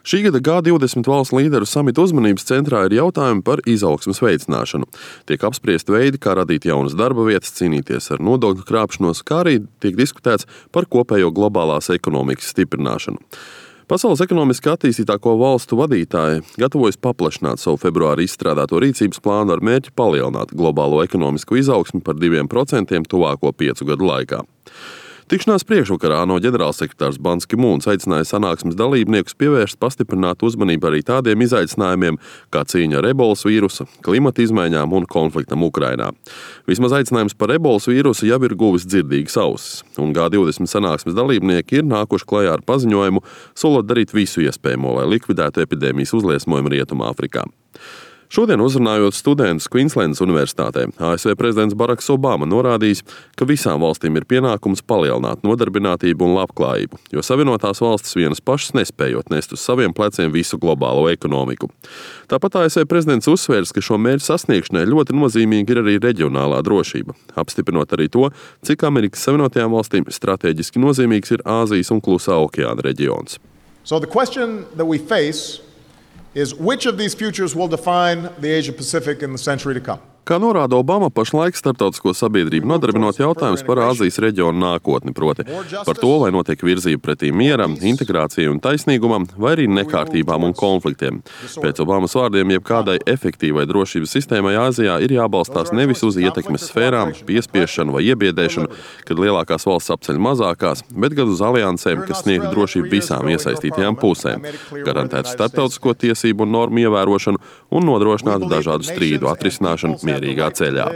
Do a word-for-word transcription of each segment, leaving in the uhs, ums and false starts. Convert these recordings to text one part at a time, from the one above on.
Šī gada G divdesmit valstu līderu samita uzmanības centrā ir jautājumi par izaugsmes veicināšanu. Tiek apspriesti veidi, kā radīt jaunas darba vietas, cīnīties ar nodokļu krāpšanos, kā arī tiek diskutēts par kopējo globālās ekonomikas stiprināšanu. Pasaules ekonomiski attīstītāko valstu vadītāji gatavojas paplašināt savu februāri izstrādāto rīcības plānu ar mērķi palielināt globālo ekonomisko izaugsmi par diviem procentiem tuvāko piecu gadu laikā. Tikšanās priekšvakarā ANO ģenerālsekretārs Bans Ki Mūns aicināja sanāksmes dalībniekus pievērst pastiprinātu uzmanību arī tādiem izaicinājumiem, kā cīņa ar ebolas vīrusa, klimata izmaiņām un konfliktam Ukrainā. Vismaz aicinājums par ebolas vīrusu jau ir guvis dzirdīgas ausis, un G divdesmit sanāksmes dalībnieki ir nākuši klajā ar paziņojumu, solot darīt visu iespējamo, lai likvidētu epidēmijas uzliesmojumu Rietumāfrikā. Šodien uzrunājot studentus Kvīnslendas universitātē, A S V prezidents Baraks Obama norādījis, ka visām valstīm ir pienākums palielināt nodarbinātību un labklājību, jo Savienotās valstis vienas pašas nespējot nest uz saviem pleciem visu globālo ekonomiku. Tāpat A S V prezidents uzsvērs, ka šo mērķu sasniegšanai ļoti nozīmīga ir arī reģionālā drošība, apstiprinot arī to, cik Amerikas Savienotajām valstīm strateģiski nozīmīgs ir Āzijas un Klusā okeāna reģions. So the question that we face is which of these futures will define the Asia-Pacific in the century to come? Kā norāda Obama, pašlaik starptautisko sabiedrību nodarbinot jautājums par Āzijas reģionu nākotni, proti par to, vai notiek virzība pretī mieram, integrācijai un taisnīgumam, vai arī nekārtībām un konfliktiem. Pēc Obamas vārdiem, jebkādai efektīvai drošības sistēmai Āzijā ir jābalstās nevis uz ietekmes sfērām, piespiešanu vai iebiedēšanu, kad lielākās valsts apceļ mazākās, bet gan uz aliansēm, kas sniegtu drošību visām iesaistītajām pusēm, garantētu starptautisko tiesību un normu ievērošanu un nodrošinātu dažādu strīdu atrisināšanu mierīgā ceļā.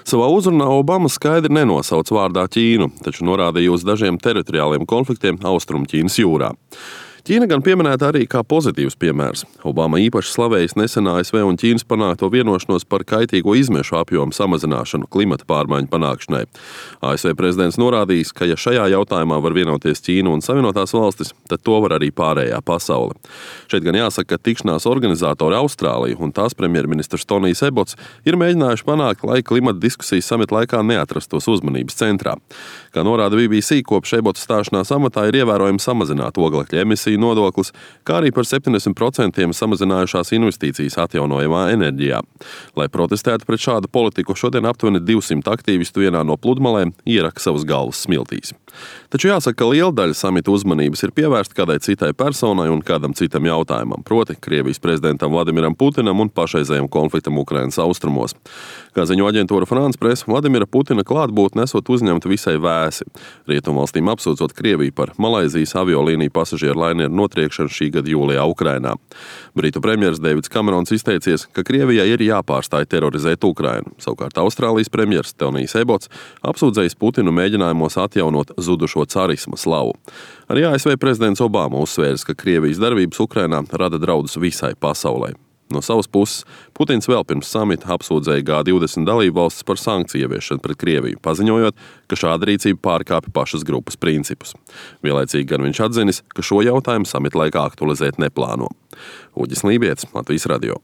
Savā uzrunā Obama skaidri nenosauc vārdā Ķīnu, taču norādīja uz dažiem teritoriāliem konfliktiem Austrumķīnas jūrā. Ķīna gan pieminēta arī kā pozitīvs piemērs. Obama īpaši slavējis nesen A S V un Ķīnas panākto vienošanos par kaitīgo izmešu apjomu samazināšanu klimata pārmaiņu panākšanai. A S V prezidents norādījis, ka ja šajā jautājumā var vienoties Ķīna un Savienotās valstis, tad to var arī pārējā pasaule. Šeit gan jāsaka, ka tikšanās organizatori Austrālija un tās premjerministrs Tonijs Ebots ir mēģinājuši panākt, lai klimata diskusijas samita laikā neatrastos uzmanības centrā. Kā norāda B B C, kopš Ebots stāšanās amatā ir ievērojami samazināt oglekļa emisiju nodoklis, kā arī par septiņdesmit procentiem samazinājušās investīcijas atjaunojamā enerģijā. Lai protestētu pret šādu politiku, šodien aptuveni divsimt aktīvistu vienā no pludmalēm ieraka savas galvas smiltīs. Taču jāsaka, ka liela daļa samita uzmanības ir pievērsta kādai citai personai un kādam citam jautājumam, proti Krievijas prezidentam Vladimiram Putinam un pašreizējam konfliktam Ukrainas austrumos. Kā ziņo aģentūra France Press, Vladimira Putina klātbūtne esot uzņemta visai vēsi. Rietumvalstīm apsūdzot Krieviju par Malaizijas aviolīniju pasažieru lainieru notriekšanu šī gada jūlijā Ukrainā. Britu premjers Deivids Kamerons izteicies, ka Krievijai ir jāpārstāj terorizēt Ukrainu. Savukārt Austrālijas premjers Tonijs Ebots apsūdzējis Putinu mēģinājumos atjaunot zudušo carisma slavu. Arī A S V prezidents Obama uzsvērs, ka Krievijas darbības Ukrainā rada draudus visai pasaulē. No savas puses, Putins vēl pirms samita apsūdzēja G divdesmit dalību valstis par sankciju ieviešanu pret Krieviju, paziņojot, ka šāda rīcība pārkāpja pašas grupas principus. Vienlaicīgi gan viņš atzinis, ka šo jautājumu samita laikā aktualizēt neplāno. Uģis Lībietis, Latvijas radio.